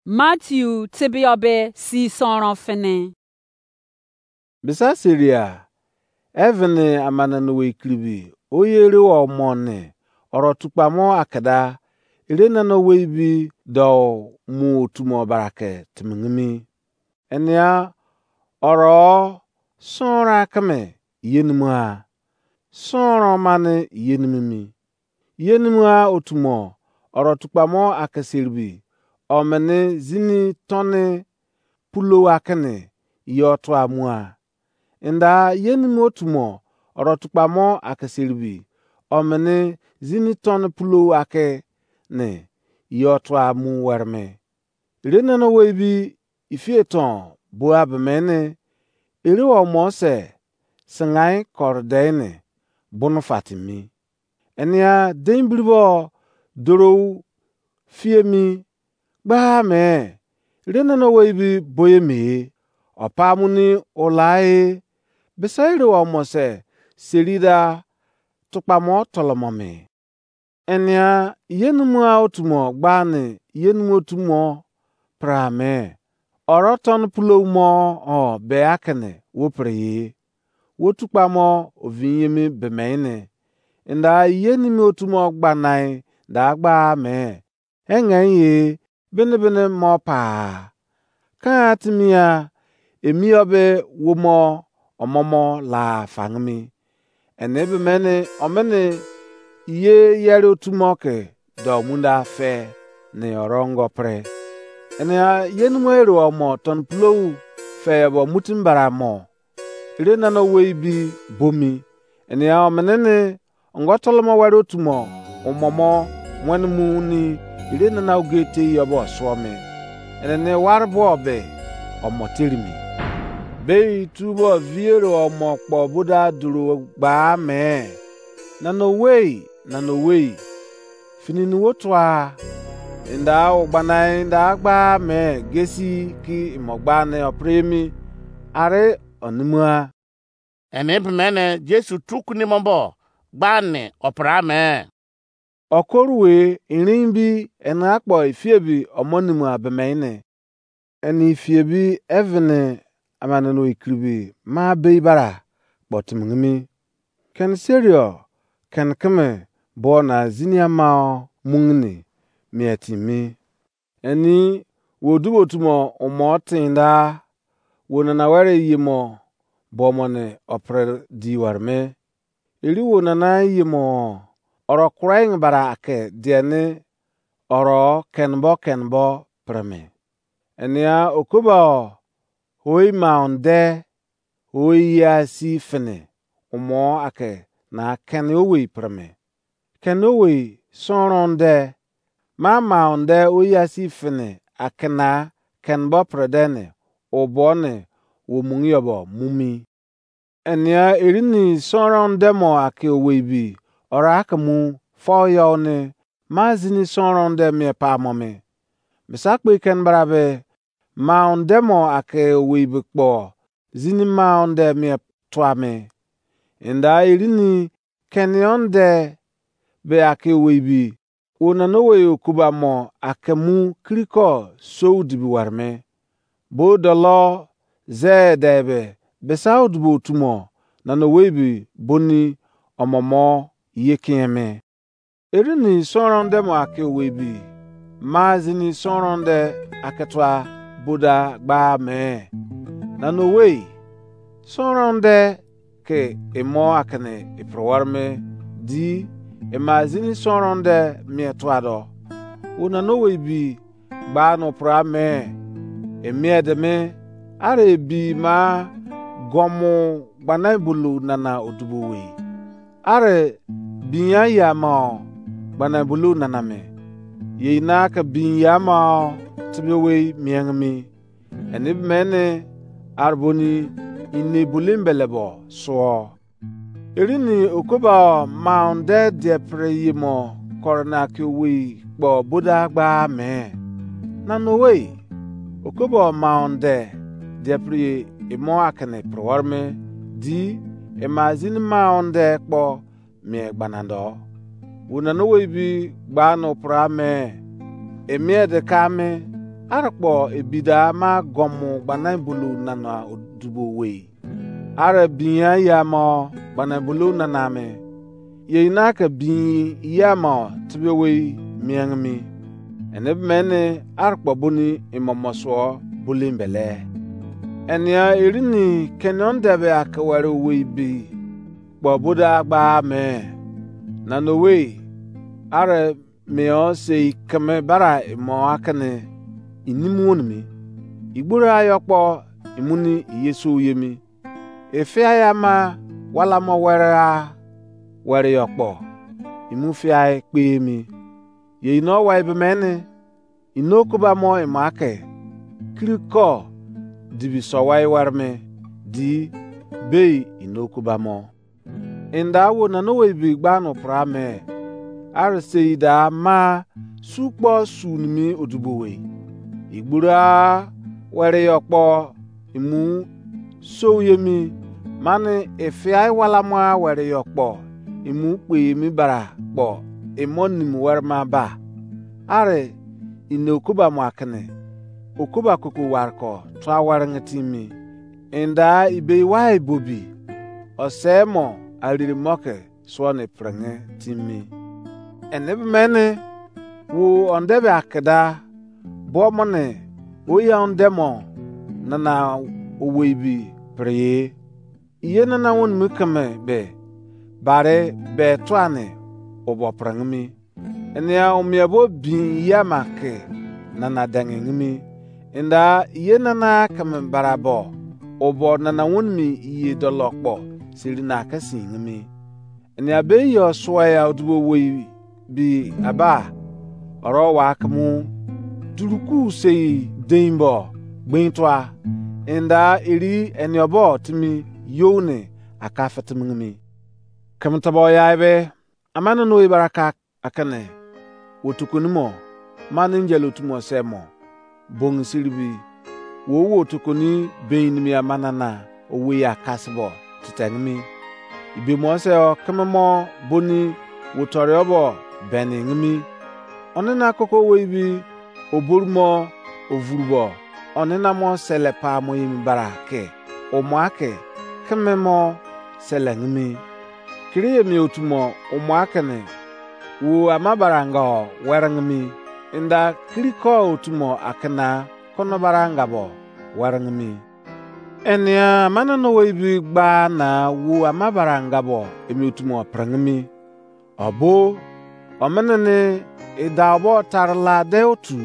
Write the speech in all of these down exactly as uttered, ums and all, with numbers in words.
Matiu tebiobe si sonron fini. Bisa seria, evini amananowei kiribi, oyi ere omo ni, oro tukpamo akida, ere nana owei bi dou mu otumo barake timingimi. Enia oro sonron akeme yenimua, sonron mani yenimimi. Yenimua otumo oro tukpamo akeseribi, omini zini toni pulo akini yo tua mua. Enda yenimua otumo oro tukpamo akeseribi, omini zini toni pulo akini yo tua mu wereme. Ere nana owei bi ifieton bua bemeni, ere omo se singai kori deini bunu fatimi. Enia dein biribo dorou fiemi gbaa me, ere nana owei bi boye me, opa muni olae, bisa ere omo se serida tukpamo tolomomi. Enia yenimua otumo gbani yenimua otumo pra me. Oro toni pulo mo o be akini wo pre ye. Wo tukpamo ovinyemi bemeni. Enda yenimi otumo gbanai da gba me. Engen ye bini bini mo pa. Kan timia emi obe wo mo omomo la fangimi. Eni be mene omene ye yere otu mo ke do munda fe ne orongo pre. Eni a ye numo ere omo ton pulou fe bo mutim bara mo. Ere nana wei bi bomi. Eni a omene ne ongo tolomo were otu mo umomo wen mu ni ere nana oge te yo bo suo me. Eni ne ware bo be omo terimi. Bei tu bo viere omo kpo boda duru gba me. Nana owei, nana owei. Fini nu wo tua. Inda o gbana inda gba me gesi ki imo gba ne opremi. Are onimua. Eni be mene Jesu truk nimo bo gba ne opra me. Okoru we irin bi eni akpo ifie bi omo nimu abeme ne. Eni ifie bi evene amane no ikiribi ma bei bara kpo timingimi. Ken serio ken keme bo na zini amao mungini mie timi. Eni wo dubo tumo umo tinda wo nana were yimo bo mo ne opre di warme. Eri wo nana yimo oro kurain bara ake diene oro kenbo kenbo preme. Enia okoba o hoi maunde hoi ya si fene umo ake na ken owei preme. Ken owei sonron de ma maunde oya si fene ake na kenbo prede ne obo ne wo mungi obo mumi. Enia erini sonron de mo ake owei bi ora ke mu fo yo ne ma zini sonron de mie pa mo me. Misa kpe ken bra be maun de mo ake owei be kpo zini maun de mie tua me. Inda erini kenion de be ake owei bi wo nana owei okuba mo ake mu kiriko sou dibi warme. Bo dolo ze de be besa odubo tumo nana owei bi boni omomo ye kieme. Erini sonron de mo ake owei bi ma zini sonron de ake tua boda gba me. Nana owei sonron de ke emo akene iprewar me di ema zini sonron de mie tua do. Wo nana owei bi gba no pra me. Emie de me are bi ma gomu gbana bulu nana odubo wei. Are binya ya ma gbana bulu nana me. Ye ina ke binya ma tibi wei mieng mi. Eni be mene arboni ini bulim belebo suo. Erini okoba maun de diepre yimo korona ke owei kpo boda gba me. Nana owei okoba maun de diepre imo akene prewar me di ema zini maun de kpo mie gbanando. Wo nana owei bi gba no pra me. Emie de ka me Are kpo ebi da ma gọmọ gbana bulu nana dubo wei. Are binya ya mo gbana bulu nana me. Ye ina ke bi ya mo tibe wei miang mi. Ene be mene are kpo buni imomo suo bulu mbele. Enia erini kenon debe akeware wei bi kpo boda gba me. Nana wei are mio sei keme bara imo akene inim wonimi. Igboro ayo kpo imuni iyesu yemi. Efia ya ma wala mo were a were yo kpo imu fia kpe mi. Ye ino wa ibe mene ino kuba mo imo ake kiri ko dibi so wa iwere me di bei ino kuba mo. Inda wo nana wei bi gba no pra me. Are sei da ma su kpo su nimi odubo wei. Igbura were yo kpo imu sou yemi. Mani ifiai wala mo were yo kpo imu kpe yemi bara kpo imo nimi were ma ba. Are ine okoba mo akene okoba koko ware ko tua ware nge timi. Inda ibei wai bobi ose mo ariri mo ke suo ne prenge timi. Ene be mene wo onde be akeda bo mo ne oya onde mo nana owei bi preye. Iye nana wonimi keme be bare be tuane obo prenge mi. Enia omie bo bin iya ma ke nana denge ngimi. Inda iye nana keme barabo obo nana wonimi iye dolo kpo siri na ke si ngimi. Enia be yo suwa ya odubo wei bi aba oro wa kemu duruku sei dein bo gbein tua. Inda eri eniobo timi you ne aka fitimi ngimi. Keme tobo ya ebe amane no ibaraka akene wo tukuni mo mani angel otu mo se mo bongi siribi wo wo tukuni bein mi amanana owei akasibo titengimi. Ibe mo se o keme mo boni wo tore obo beni ngimi. Onina koko owei bi oboru mo ovurubo onina mo sele pa mo yemi bara ke omo ake keme mo sele ngimi. Kiri emi otu mo umu akene wo ama baranga o werengimi. Inda kiri ko otu mo akena kono baranga bo werengimi. Enia amana no wei bi gba na wo ama baranga bo emi otu mo prengimi. Obo omenene idau bo tarila de otu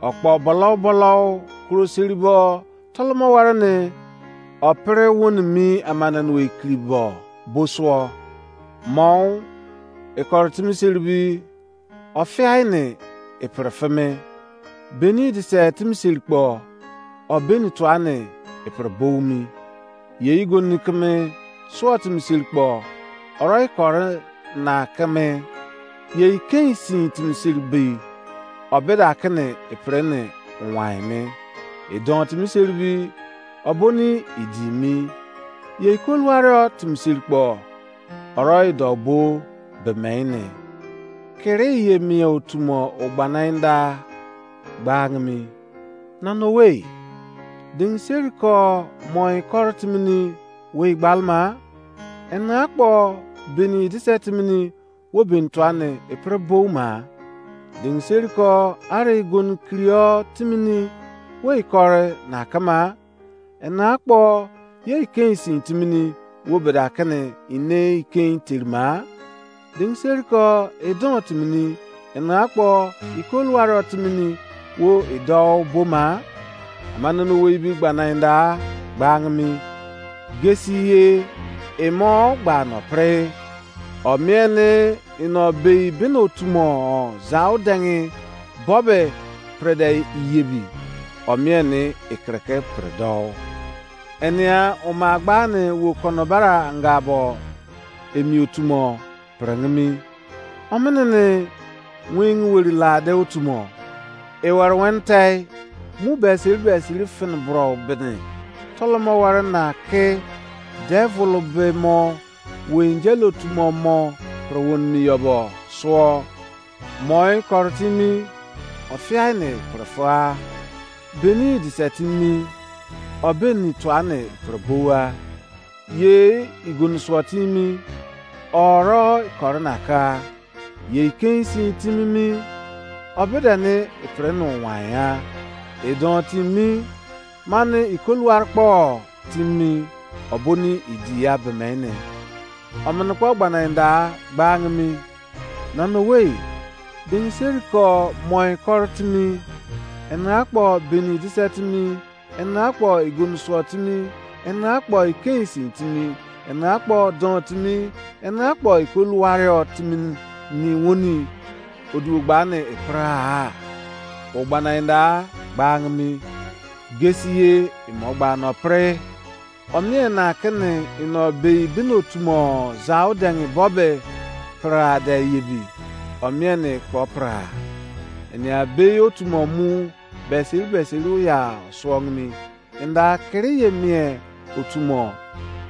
okpo bolo bolo kuro siri bo tolomo ware ne opere woni mi amana no ekiri bo bo suo. Mo ikoro timi siri bi ofiai ne ipere feme beni dise timi siri kpo obeni tuane ipere boumi. Ye igoni keme suo timi siri kpo oro ikoro na keme ye ikein sin timi siri bi obeda kene ipere ne wain me. Idon timi siri bi oboni idi mi ye ikoluwario timi siri kpo oro ido bo be mene. Kiri ye mie otu mo ogbana inda gbangimi. Nana owei ding seri ko mo ikoro timini wei gbalma ena akpo beni dise timini wo beni tuane epre bouma. Ding seri ko are igoni kirio timini wei kore na kama. Ena akpo ye ikein sin timini wo beda kene ine ikein terima. Ding seri ko idon timini ena akpo ikoluwaro timini wo idou boma. Amana no wei bi gbana inda gbangimi. Gesi ye imo gba no pre. Omiene ino bei bino tumo zau dengi bobe prede iyebi. Omiene ikreke predo. Enia uma gbani wo kono bara anga bo emi otumo prengimi. Omenene wing weri lade otumo. Ewar wentei mu besiri besiri fin bro bini tolomo wari na ke devil be mo wenjel otumo mo prowon mi yobo suo. Moi koritimi ofiai ni prefa. beni idise timi mi, ọ beni tuane fere bowa. Ye igonu suọ timi mi, ọrọ ikọrọ na ka. Ye ikein sin timi mi, ọ bideni ifere nu wan ya. Idọnwụ timi mi, mani ikoluwari kpọ timi mi, ọ boni idi ya bemene. Omini kpo gbanaenda gbaangi mi. Nana owei, beni seri ko mọnyi kọrọ timi mi, ena kpo beni idise timi mi, ena kpo igonu suọ timi mi, ena kpo ikein sin timi mi, ena kpo dọnwụ timi mi, ena kpo ikoluwari timi mi ni woni oduo gba ni ipra-a. O gbanaenda gbaangi mi. Gesi ye, imo gba nọ pre. Ọ mien na kini ino bei bini otumo zau dẹngi bọ be pere de yebi, ọ mien kpo pere. Enia bei otumo mu beseri beseri oya suọngi mi. Enda kiri ye mien otumo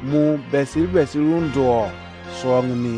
mu beseri beseri unduọ suọngi mi.